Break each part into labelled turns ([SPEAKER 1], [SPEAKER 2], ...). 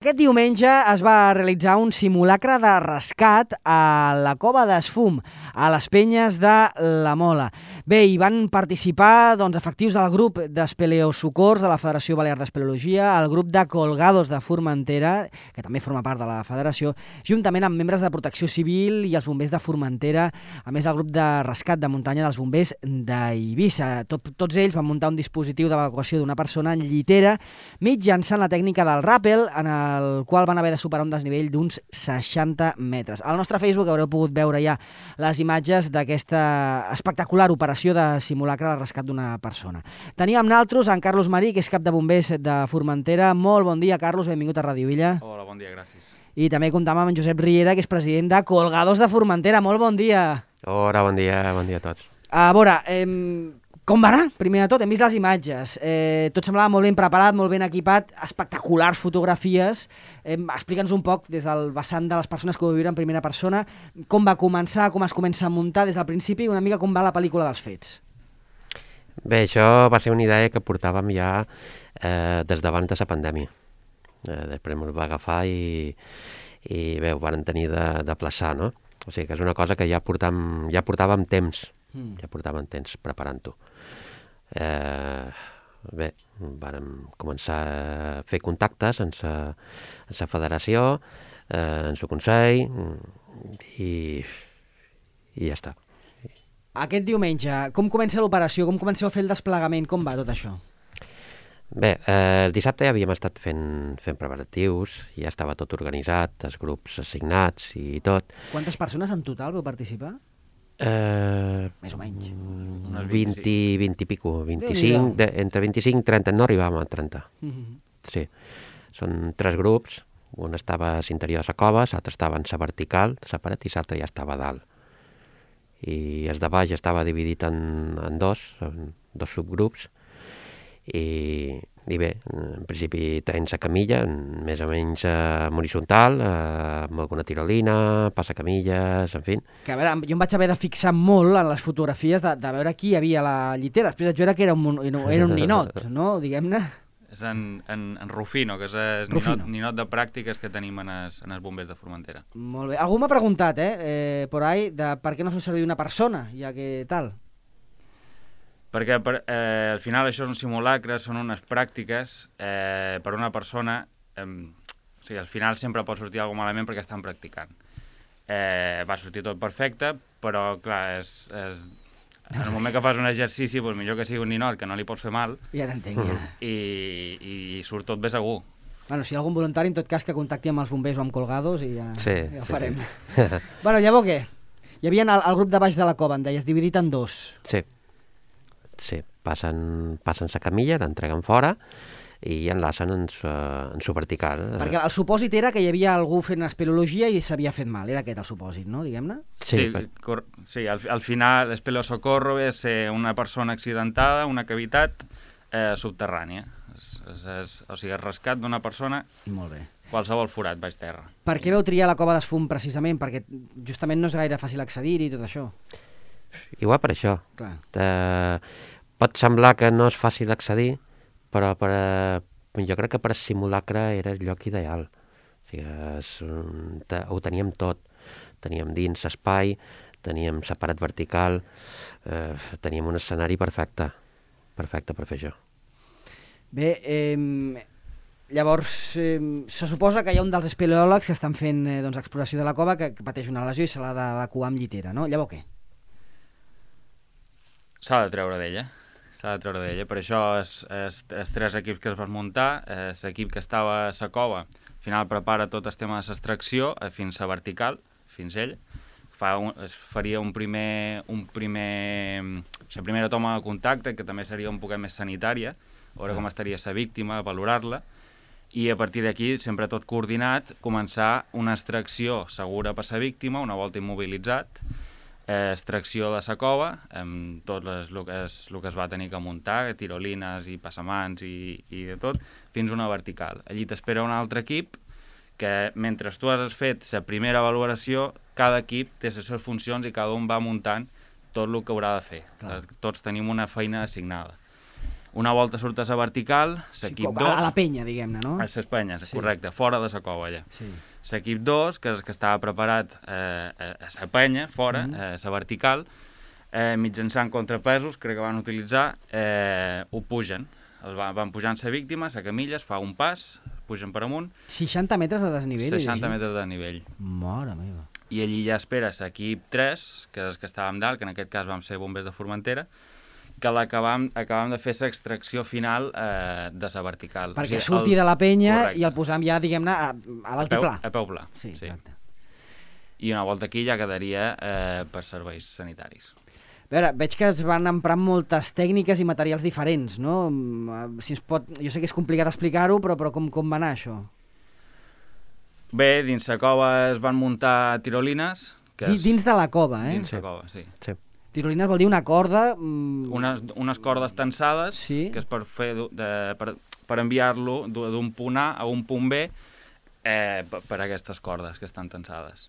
[SPEAKER 1] Aquest diumenge es va realitzar un simulacre de rescat a la Cova d'Esfum, a les Penyes de la Mola. Bé, hi van participar efectius del grup d'Espeleosocors de la Federació Balear d'Espeleologia, el grup de Colgados de Formentera, que també forma part de la federació, juntament amb membres de Protecció Civil i els bombers de Formentera, a més el grup de rescat de muntanya dels bombers d'Eivissa. Tots ells van muntar un dispositiu d'evacuació d'una persona en llitera mitjançant la tècnica del ràpel, en el qual van haver de superar un desnivell d'uns 60 metres. Al nostre Facebook haureu pogut veure ja les imatges d'aquesta espectacular operació de simulacre de rescat d'una persona. Tenim amb naltros en Carlos Marí, que és cap de bombers de Formentera. Molt bon dia, Carlos, benvingut a Ràdio Illa.
[SPEAKER 2] Hola, bon dia, gràcies.
[SPEAKER 1] I també comptam amb en Josep Riera, que és president de Colgados de Formentera. Molt bon dia.
[SPEAKER 3] Hola, bon dia a tots.
[SPEAKER 1] A veure, com va anar? Primer de tot, hem vist les imatges. Tot semblava molt ben preparat, molt ben equipat, espectaculars fotografies. Explica'ns un poc, des del vessant de les persones que ho viuen en primera persona, com va començar, com es comença a muntar des del principi, una mica com va la pel·lícula dels fets.
[SPEAKER 3] Bé, això va ser una idea que portàvem ja des d'abans de la pandèmia. Després ens va agafar i bé, ho van tenir de plaçar, no? O sigui que és una cosa que ja portàvem temps, preparant-ho. Bé, vàrem començar a fer contactes amb la federació, amb el Consell i ja està.
[SPEAKER 1] Aquest diumenge, com comença l'operació? Com comenceu a fer el desplegament? Com va tot això?
[SPEAKER 3] Bé, el dissabte ja havíem estat fent preparatius, ja estava tot organitzat, els grups assignats i tot.
[SPEAKER 1] Quantes persones en total vau participar? Més o menys.
[SPEAKER 3] 20 i pico, 25, entre 25 i 30, no arribàvem a 30. Sí, són 3 grups, un estava a l'interior de la cova, l'altre estava en la vertical, la paret, i l'altre ja estava a dalt. I el de baix estava dividit en dos subgrups, i bé, en principi tenen la camilla, més o menys horitzontal, amb alguna tirolina, passacamilles, en fi.
[SPEAKER 1] Que a veure, jo em vaig haver de fixar molt en les fotografies de veure qui hi havia a la llitera. Després vaig veure que era un ninot, no? Diguem-ne.
[SPEAKER 2] És en Rufino, que és el ninot de pràctiques que tenim en els bombers de Formentera.
[SPEAKER 1] Molt bé. Algú m'ha preguntat, por ahí, de per què no feu servir una persona, ja que tal?
[SPEAKER 2] Perquè al final això és un simulacre, són unes pràctiques per una persona, o sigui, al final sempre pot sortir alguna malament perquè estan practicant. Va sortir tot perfecte, però clar, en el moment que fas un exercici, doncs millor que sigui un ninot, que no li pots fer mal,
[SPEAKER 1] ja t'entenc, ja.
[SPEAKER 2] I surt tot bé segur.
[SPEAKER 1] Bueno, si hi ha algun voluntari, en tot cas, que contacti amb els bombers o amb Colgados i ja ho farem.
[SPEAKER 3] Sí.
[SPEAKER 1] Bueno, llavors què? Hi havia el grup de baix de la cova, em deies, dividit en dos.
[SPEAKER 3] Sí, passen la camilla, l'entreguen fora i enlacen en su vertical.
[SPEAKER 1] Perquè el supòsit era que hi havia algú fent espeleologia i s'havia fet mal. Era aquest el supòsit, no? Diguem-ne?
[SPEAKER 2] Sí, al final l'espeleosocorro és una persona accidentada, una cavitat subterrània. O sigui, el rescat d'una persona,
[SPEAKER 1] molt bé,
[SPEAKER 2] qualsevol forat baix terra.
[SPEAKER 1] Per què vau triar la Cova d'Esfum precisament? Perquè justament no és gaire fàcil accedir-hi i tot això.
[SPEAKER 3] Igual per això.
[SPEAKER 1] Clar.
[SPEAKER 3] Pot semblar que no és fàcil accedir, però jo crec que per simulacre era el lloc ideal. O sigui, ho teníem tot. Teníem dins l'espai, teníem la paret vertical, teníem un escenari perfecte per fer això.
[SPEAKER 1] Bé, llavors se suposa que hi ha un dels espeleòlegs que estan fent exploració de la cova que pateix una lesió i se l'ha d'evacuar amb llitera, no? Llavors què?
[SPEAKER 2] S'ha de treure d'ella. Per això els 3 equips que es van muntar, l'equip que estava a la cova, al final prepara tot el tema de l'extracció fins a vertical, fins ell. Es faria la primera toma de contacte, que també seria un poquet més sanitària, veure com estaria la víctima, valorar-la, i a partir d'aquí, sempre tot coordinat, començar una extracció segura per la víctima, una volta immobilitzat, extracció de la cova, amb tot el que es va tenir que muntar, tirolines i passamans i de tot, fins a una vertical. Allí t'espera un altre equip que, mentre tu has fet la primera valoració, cada equip té les seves funcions i cada un va muntant tot el que haurà de fer. Clar. Tots tenim una feina assignada. Una volta surtes a vertical, l'equip 2...
[SPEAKER 1] A la penya, diguem-ne, no?
[SPEAKER 2] A les penyes, correcte, fora de la cova, allà. L'equip 2, que és el que estava preparat a la penya, fora, a la vertical, mitjançant contrapesos, crec que van utilitzar, ho pugen. Van pujant la víctima, la camilla, es fa un pas, pugen per amunt...
[SPEAKER 1] 60 metres de desnivell?
[SPEAKER 2] 60 metres de desnivell.
[SPEAKER 1] Mare meva.
[SPEAKER 2] I allí ja espera l'equip 3, que és el que estàvem dalt, que en aquest cas vam ser bombers de Formentera, que acabam de fer l'extracció final de la vertical.
[SPEAKER 1] Perquè surti de la penya i el posam ja, diguem-ne, a l'altiplà.
[SPEAKER 2] A peu pla,
[SPEAKER 1] sí. Exacte.
[SPEAKER 2] I una volta aquí ja quedaria per serveis sanitaris.
[SPEAKER 1] A veure, veig que es van emprar moltes tècniques i materials diferents, no? Si ens pot... Jo sé que és complicat explicar-ho, però com va anar això?
[SPEAKER 2] Bé, dins la cova es van muntar tirolines...
[SPEAKER 1] Dins de la cova, eh?
[SPEAKER 2] Dins la cova, sí.
[SPEAKER 1] Tirolines vol dir una corda...
[SPEAKER 2] Unes cordes tensades, que és per enviar-lo d'un punt A a un punt B per aquestes cordes que estan tensades.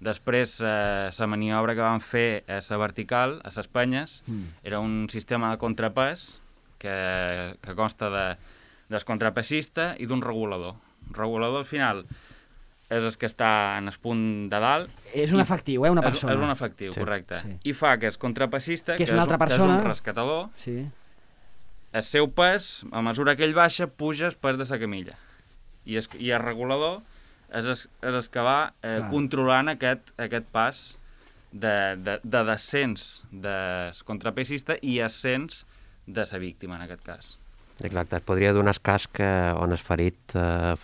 [SPEAKER 2] Després, la maniobra que van fer a la vertical, a les penyes, era un sistema de contrapès que consta del contrapesista i d'un regulador. El regulador, al final, és el que està en el punt de dalt. És
[SPEAKER 1] un efectiu, una persona.
[SPEAKER 2] És un efectiu, correcte. I fa que el contrapessista, que és
[SPEAKER 1] una altra persona,
[SPEAKER 2] un rescatador, el seu pes, a mesura que ell baixa, puja el pes de la camilla. I el regulador és el que va controlant aquest pas de descens del contrapesista i ascens de la víctima, en aquest cas.
[SPEAKER 3] Exacte, es podria donar el cas que on es ferit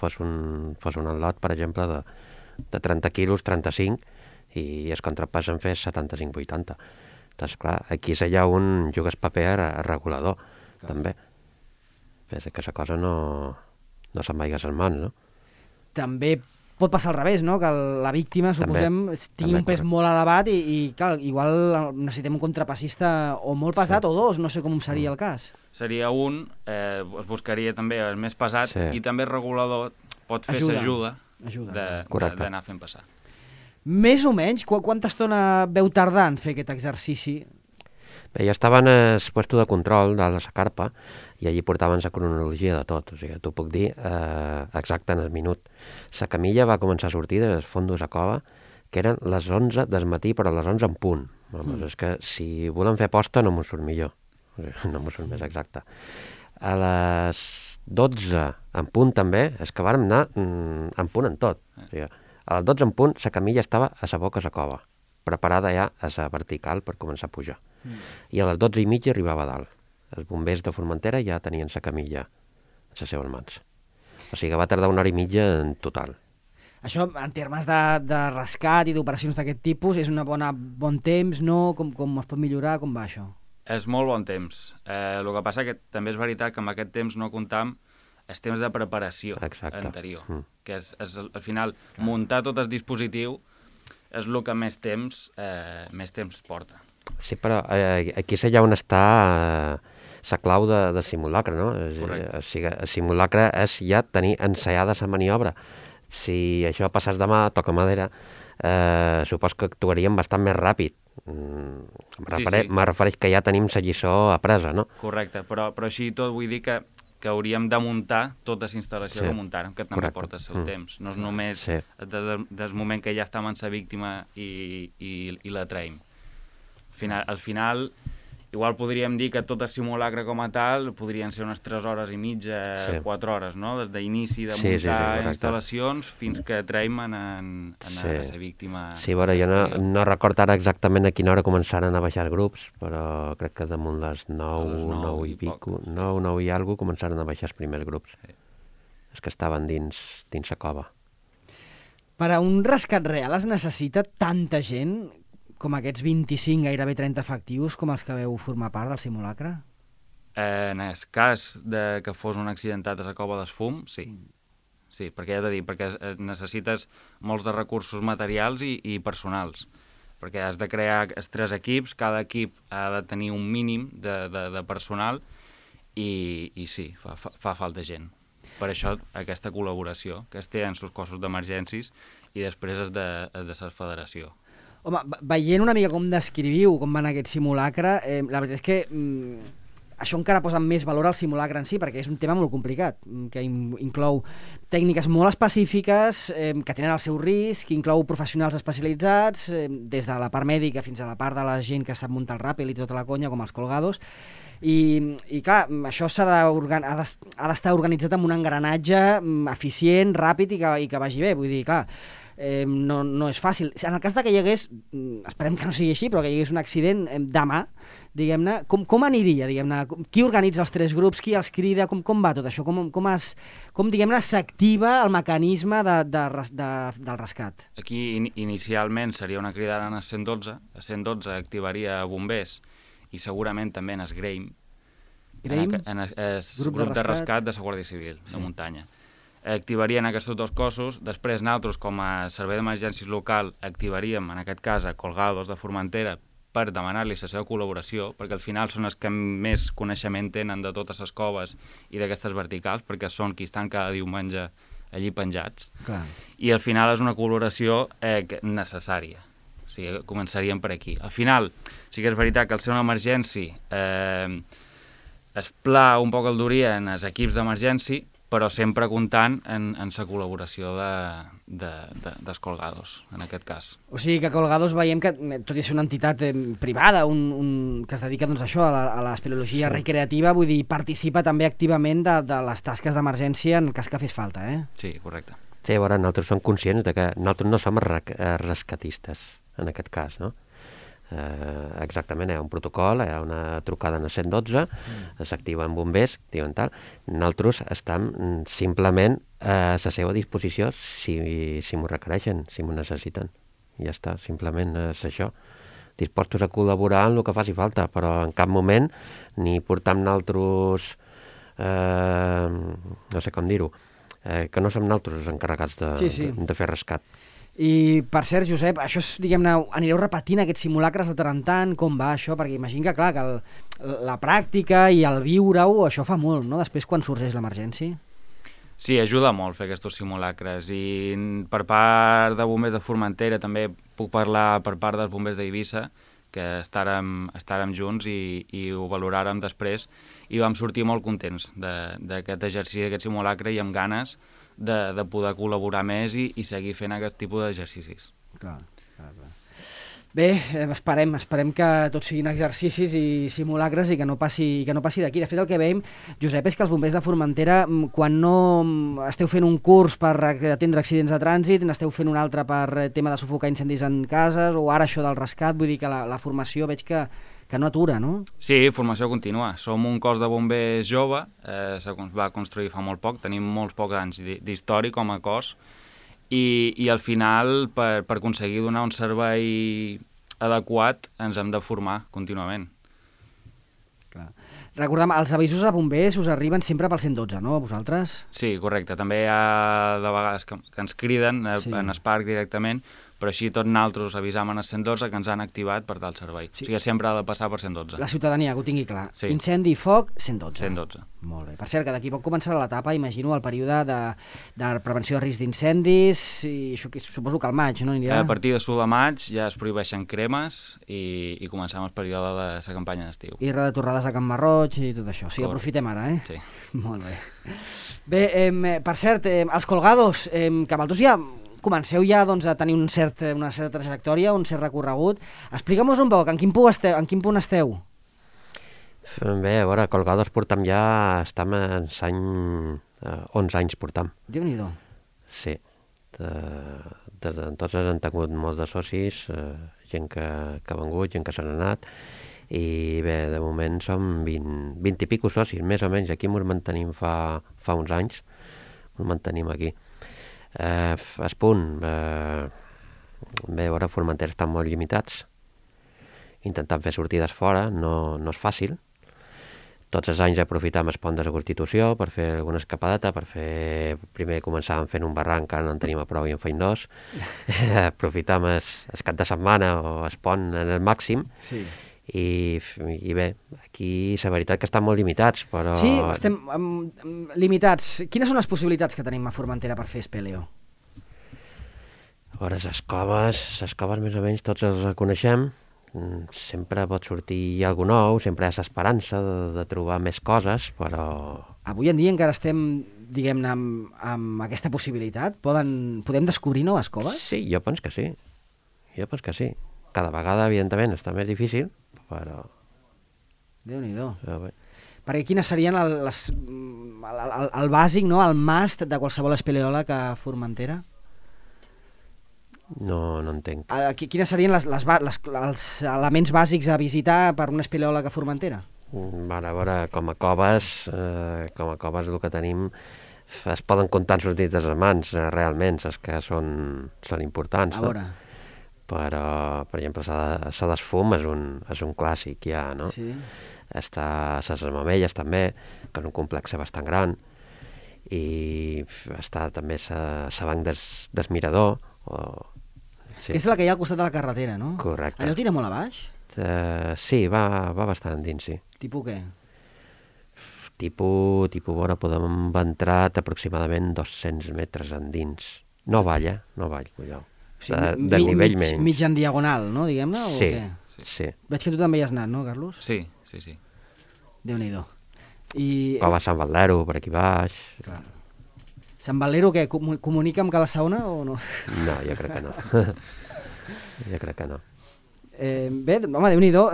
[SPEAKER 3] fos un atlot, per exemple, de 30 quilos, 35, i el contrapès en fes 75-80. Doncs clar, aquí allà un juga el paper regulador, també. Pensa que la cosa no se'n vagi a les mans, no?
[SPEAKER 1] També pot passar al revés, no? Que la víctima, suposem, tingui un pes molt elevat i clar, igual necessitem un contrapessista o molt pesat o dos, no sé com seria el cas.
[SPEAKER 2] Seria un, es buscaria també el més pesat i també el regulador pot fer l'ajuda d'anar fent passar.
[SPEAKER 1] Més o menys, quanta estona veu tardar en fer aquest exercici?
[SPEAKER 3] Bé, jo estava en el puesto de control de la carpa i allí portaven la cronologia de tot, o sigui, t'ho puc dir exacte en el minut. La camilla va començar a sortir del fons de la cova, que eren les 11 del matí, però a les 11 en punt. És que si volen fer posta no m'ho surt millor. No m'ho surt més exacte. A les 12 en punt també, és que vàrem anar en punt en tot. O sigui, a les 12 en punt la camilla estava a la boca de la cova, preparada ja a la vertical per començar a pujar. I a les 12:30 arribava a dalt. Els bombers de Formentera ja tenien la camilla a les seves mans. O sigui que va tardar 1 hora i mitja en total.
[SPEAKER 1] Això, en termes de rescat i d'operacions d'aquest tipus, és un bon temps, no? Com es pot millorar? Com va això?
[SPEAKER 2] És molt bon temps. El que passa que també és veritat que amb aquest temps no comptam el temps de preparació anterior, que és al final muntar tot el dispositiu és el que més temps porta.
[SPEAKER 3] Sí, però aquí és allà on està la clau de simulacre, no? O sigui, el simulacre és ja tenir ensaiada la maniobra. Si això passés demà, toca madera, supos que actuaríem bastant més ràpid. Me refereix que ja tenim la lliçó apresa, no?
[SPEAKER 2] Correcte, però així tot vull dir que hauríem de muntar tota la instal·lació que muntàrem, que també porta el seu temps. No és només des moment que ja estem en la víctima i la traiem. Al final, igual podríem dir que tot el simulacre com a tal podrien ser unes 3 hores i mitja, 4 hores, no? Des d'inici de muntar instal·lacions fins que traiem a la víctima.
[SPEAKER 3] Sí, bueno, jo no recordo ara exactament a quina hora començaren a baixar els grups, però crec que damunt les 9 i pico, 9 i alguna començaren a baixar els primers grups. Els que estaven dins la cova.
[SPEAKER 1] Per a un rescat real es necessita tanta gent com aquests 25, gairebé 30 efectius, com els que veu formar part del simulacre?
[SPEAKER 2] En el cas que fos un accidentat a la cova d'Esfum, sí. Sí, perquè ja t'he dit, perquè necessites molts de recursos materials i personals. Perquè has de crear els 3 equips, cada equip ha de tenir un mínim de personal i sí, fa falta gent. Per això aquesta col·laboració que es té en els cossos d'emergències i després és de la federació.
[SPEAKER 1] Home, veient una mica com descriviu com va anar aquest simulacre, la veritat és que això encara posa més valor al simulacre en si, perquè és un tema molt complicat, que inclou tècniques molt específiques, que tenen el seu risc, que inclou professionals especialitzats, des de la part mèdica fins a la part de la gent que sap muntar el ràpel i tota la conya, com els colgados, i clar, això ha d'estar organitzat amb un engranatge eficient, ràpid i que vagi bé, vull dir, clar, no és fàcil. En el cas que hi hagués, esperem que no sigui així, però que hi hagués un accident demà, diguem-ne, com aniria, diguem-ne? Qui organitza els 3 grups, qui els crida, com va tot això? Com diguem-ne, s'activa el mecanisme del rescat?
[SPEAKER 2] Aquí inicialment seria una cridada a 112, a 112 activaria bombers i segurament també en SGRAIM, grup de rescat de la Guàrdia Civil de muntanya. Activarien aquests 2 cossos, després nosaltres com a servei d'emergències local activaríem en aquest cas a Colgados de Formentera per demanar-li la seva col·laboració, perquè al final són els que més coneixement tenen de totes les coves i d'aquestes verticals, perquè són qui estan cada diumenge allí penjats.
[SPEAKER 1] Clar. I
[SPEAKER 2] al final és una col·laboració necessària. O sigui, començaríem per aquí. Al final, sí que és veritat que al ser una emergència es pla un poc el duria en els equips d'emergència, però sempre comptant en la col·laboració dels Colgados, en aquest cas.
[SPEAKER 1] O sigui que Colgados veiem que, tot i ser una entitat privada, que es dedica doncs, a això, a l'espeleologia recreativa, vull dir, participa també activament de les tasques d'emergència en el cas que fes falta, eh?
[SPEAKER 2] Sí, correcte.
[SPEAKER 3] Sí, a veure, nosaltres som conscients que nosaltres no som rescatistes, en aquest cas, no? Exactament, hi ha un protocol, hi ha una trucada en el 112, s'activen bombers, diuen tal. Nosaltres estem simplement a la seva disposició si m'ho requereixen, si m'ho necessiten. I ja està, simplement és això. Dispostos a col·laborar en el que faci falta, però en cap moment ni portam nosaltres, no sé com dir-ho, que no som nosaltres els encarregats de fer rescat.
[SPEAKER 1] I, per cert, Josep, això és, diguem-ne, anireu repetint aquests simulacres de tant en tant, com va això? Perquè imagino que, clar, que la pràctica i el viure-ho, això fa molt, no?, després quan sorgeix l'emergència.
[SPEAKER 2] Sí, ajuda molt fer aquests simulacres, i per part de bombers de Formentera també puc parlar per part dels bombers d'Eivissa, que estàrem junts i ho valoràrem després, i vam sortir molt contents d'aquest exercici, d'aquest simulacre, i amb ganes de poder col·laborar més i seguir fent aquest tipus d'exercicis.
[SPEAKER 1] Clar. Bé, esperem que tots siguin exercicis i simulacres i que no passi d'aquí. De fet, el que veiem, Josep, és que els bombers de Formentera, quan no esteu fent un curs per atendre accidents de trànsit, n'esteu fent un altre per tema de sufocar incendis en cases, o ara això del rescat, vull dir que la formació veig que no atura, no?
[SPEAKER 2] Sí, formació contínua. Som un cos de bombers jove, es va construir fa molt poc, tenim molts pocs anys d'història com a cos, i al final, per aconseguir donar un servei adequat, ens hem de formar contínuament.
[SPEAKER 1] Clar. Recordem, els avisos a bombers us arriben sempre pel 112, no, a vosaltres?
[SPEAKER 2] Sí, correcte. També hi ha de vegades que ens criden en el parc directament, però així tots nosaltres avisam en el 112 que ens han activat per tal servei. Sí. O sigui, sempre ha de passar per 112.
[SPEAKER 1] La ciutadania, que ho tingui clar.
[SPEAKER 2] Sí.
[SPEAKER 1] Incendi i foc, 112.
[SPEAKER 2] 112.
[SPEAKER 1] Molt bé. Per cert, que d'aquí poc començarà l'etapa, imagino, el període de prevenció de risc d'incendis, i això que suposo que al maig, no? Anirà...
[SPEAKER 2] A partir de l'1 de maig ja es prohibeixen cremes i comencem el període de la campanya d'estiu.
[SPEAKER 1] I retornades a Can Marroig i tot això. O sigui, aprofitem ara, eh?
[SPEAKER 2] Sí.
[SPEAKER 1] Molt bé. Bé, per cert, els Colgados, que vosaltres ja comenceu ja doncs, a tenir una certa trajectòria, un cert recorregut. Explica'm-nos un poc, en quin punt esteu?
[SPEAKER 3] Bé, a veure, Colgados portam ja, estem en l'any 11 anys portam.
[SPEAKER 1] Déu-n'hi-do.
[SPEAKER 3] Sí. Entonces han tingut molts de socis, gent que ha vengut, gent que s'han anat, i bé, de moment som 20 i pico socis, més o menys. Aquí ens mantenim fa uns anys, ens mantenim aquí. Es punt, bé, ara Formentera estan molt limitats, intentant fer sortides fora no és fàcil. Tots els anys aprofitam el pont de la Constitució per fer alguna escapadeta, primer començàvem fent un barranc, ara no en tenim a prou i en feim 2, aprofitam el cap de setmana o el pont en el màxim.
[SPEAKER 1] Sí.
[SPEAKER 3] I bé, aquí la veritat que estan molt limitats, però...
[SPEAKER 1] Sí, estem limitats. Quines són les possibilitats que tenim a Formentera per fer espeleo?
[SPEAKER 3] A veure, les coves més o menys tots els coneixem, sempre pot sortir alguna nou, sempre hi ha l'esperança de trobar més coses, però...
[SPEAKER 1] Avui en dia encara estem, diguem-ne, amb aquesta possibilitat? Podem descobrir noves coves?
[SPEAKER 3] Sí, jo penso que sí. Cada vegada, evidentment, està més difícil, però...
[SPEAKER 1] Déu-n'hi-do. Perquè quines serien el bàsic, no? El must de qualsevol espeleòleg a Formentera?
[SPEAKER 3] No entenc.
[SPEAKER 1] Quines serien els elements bàsics a visitar per un espeleòleg a Formentera?
[SPEAKER 3] A veure, com a coves el que tenim es poden comptar en els dits de les mans, realment, les que són importants.
[SPEAKER 1] A veure.
[SPEAKER 3] Però, per exemple, la d'Esfum és un clàssic ja, no?
[SPEAKER 1] Sí.
[SPEAKER 3] Està les Mamelles també, que és un complex bastant gran, i està també la Banc del Mirador.
[SPEAKER 1] Sí. Que és la que hi ha al costat de la carretera, no?
[SPEAKER 3] Correcte.
[SPEAKER 1] Allò tira molt a baix?
[SPEAKER 3] Sí, va bastant endins, sí.
[SPEAKER 1] Tipus què?
[SPEAKER 3] Tipus, podem entrar aproximadament 200 metres endins. No ball, cuidao.
[SPEAKER 1] O sigui,
[SPEAKER 3] de nivell menys.
[SPEAKER 1] Mig en diagonal, no, diguem-ne?
[SPEAKER 3] Sí,
[SPEAKER 1] o què?
[SPEAKER 3] sí.
[SPEAKER 1] Veig que tu també hi has anat, no, Carlos?
[SPEAKER 2] Sí.
[SPEAKER 1] Déu-n'hi-do.
[SPEAKER 3] O va a Sant Valero, per aquí baix.
[SPEAKER 1] Clar. Sant Valero, què? Comunica amb Cala Sauna o no?
[SPEAKER 3] No, jo crec que no.
[SPEAKER 1] Bé, home, Déu-n'hi-do.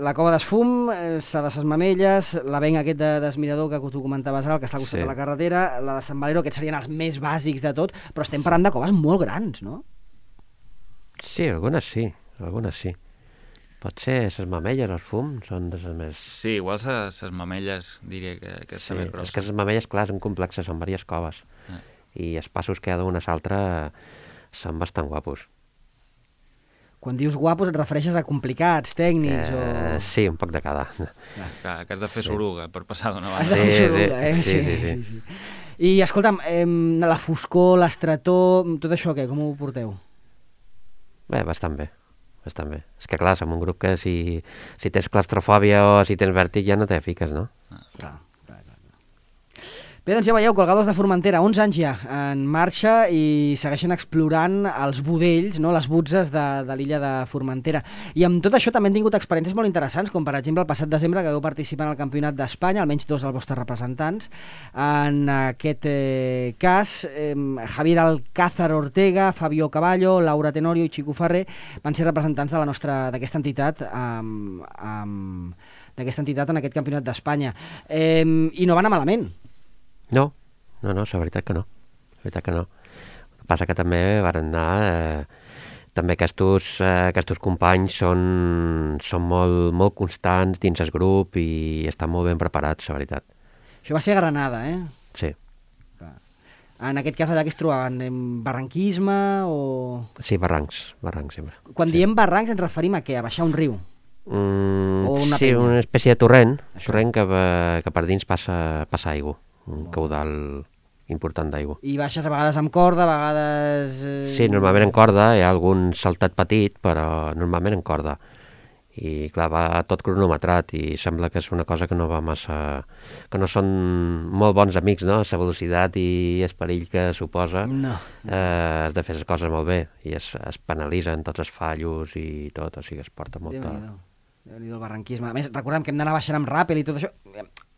[SPEAKER 1] La cova d'Esfum, la de ses Mamelles, l'avenc aquest d'Esmirador que tu comentaves ara, que està al costat de la carretera, la de Sant Valero, aquests serien els més bàsics de tot, però estem parlant de coves molt grans, no?
[SPEAKER 3] Sí, algunes sí. Potser les Mamelles, els Fum, són de les més...
[SPEAKER 2] Sí, igual les Mamelles diria que és més grossa.
[SPEAKER 3] És que les Mamelles, clar, són complexes, són diverses coves. I els passos que hi ha d'una a l'altra són bastant guapos.
[SPEAKER 1] Quan dius guapos et refereixes a complicats, tècnics o...
[SPEAKER 3] Sí, un poc de cada.
[SPEAKER 2] Clar, que has de fer soruga per passar d'una banda.
[SPEAKER 1] Has de fer soruga, Sí. I escolta'm, la foscor, l'estretor, tot això què? Com ho porteu?
[SPEAKER 3] Bé, bastant bé. És que clar, som un grup que si tens claustrofòbia o si tens vèrtic ja no te fiques, no?
[SPEAKER 1] Clar. Bé, doncs ja veieu, Colgados de Formentera, 11 anys ja en marxa i segueixen explorant els budells, no? Les butzes de l'illa de Formentera. I amb tot això també han tingut experiències molt interessants, com per exemple el passat desembre que vau participar en el Campionat d'Espanya, almenys 2 dels vostres representants. En aquest cas, Javier Alcázar Ortega, Fabio Caballo, Laura Tenorio i Chico Ferrer van ser representants d'aquesta entitat en aquest Campionat d'Espanya. I no va anar malament.
[SPEAKER 3] No, la veritat que no. El que passa que també van anar... també aquests companys són molt constants dins el grup i estan molt ben preparats, la veritat.
[SPEAKER 1] Això va ser a Granada,
[SPEAKER 3] Sí.
[SPEAKER 1] En aquest cas allà que es trobaven, barranquisme o...?
[SPEAKER 3] Sí, barrancs sempre.
[SPEAKER 1] Quan diem barrancs ens referim a què? A baixar un riu?
[SPEAKER 3] Sí, una espècie de torrent que per dins passa aigua. Un caudal important d'aigua.
[SPEAKER 1] I baixes a vegades amb corda, a vegades...
[SPEAKER 3] Sí, normalment en corda, hi ha algun saltat petit, però normalment en corda. I clar, va tot cronometrat i sembla que és una cosa que no va massa... que no són molt bons amics, no? La velocitat i el perill que suposa.
[SPEAKER 1] No.
[SPEAKER 3] Has de fer les coses molt bé i es penalitzen tots els fallos i tot, o sigui, es porta molta...
[SPEAKER 1] Déu-n'hi-do el barranquisme. A més, recordem que hem d'anar baixant amb ràpel i tot això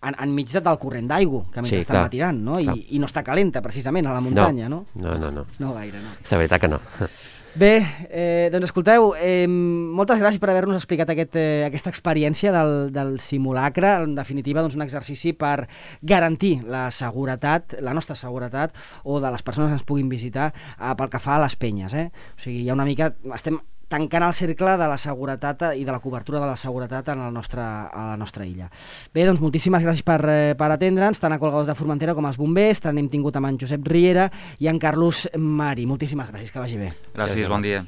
[SPEAKER 1] enmig del corrent d'aigua, que mentre estan matirant, no? I no està calenta, precisament, a la muntanya, no?
[SPEAKER 3] No.
[SPEAKER 1] No gaire, no.
[SPEAKER 3] La veritat que no.
[SPEAKER 1] Bé, doncs escolteu, moltes gràcies per haver-nos explicat aquesta experiència del simulacre. En definitiva, doncs un exercici per garantir la seguretat, la nostra seguretat, o de les persones que ens puguin visitar pel que fa a les penyes, O sigui, hi ha una mica... Estem tancant el cercle de la seguretat i de la cobertura de la seguretat a la nostra illa. Bé, doncs moltíssimes gràcies per atendre'ns, tant a Colgados de Formentera com als bombers, tant hem tingut amb en Josep Riera i en Carlos Mari. Moltíssimes gràcies, que vagi bé.
[SPEAKER 2] Gràcies, bon dia.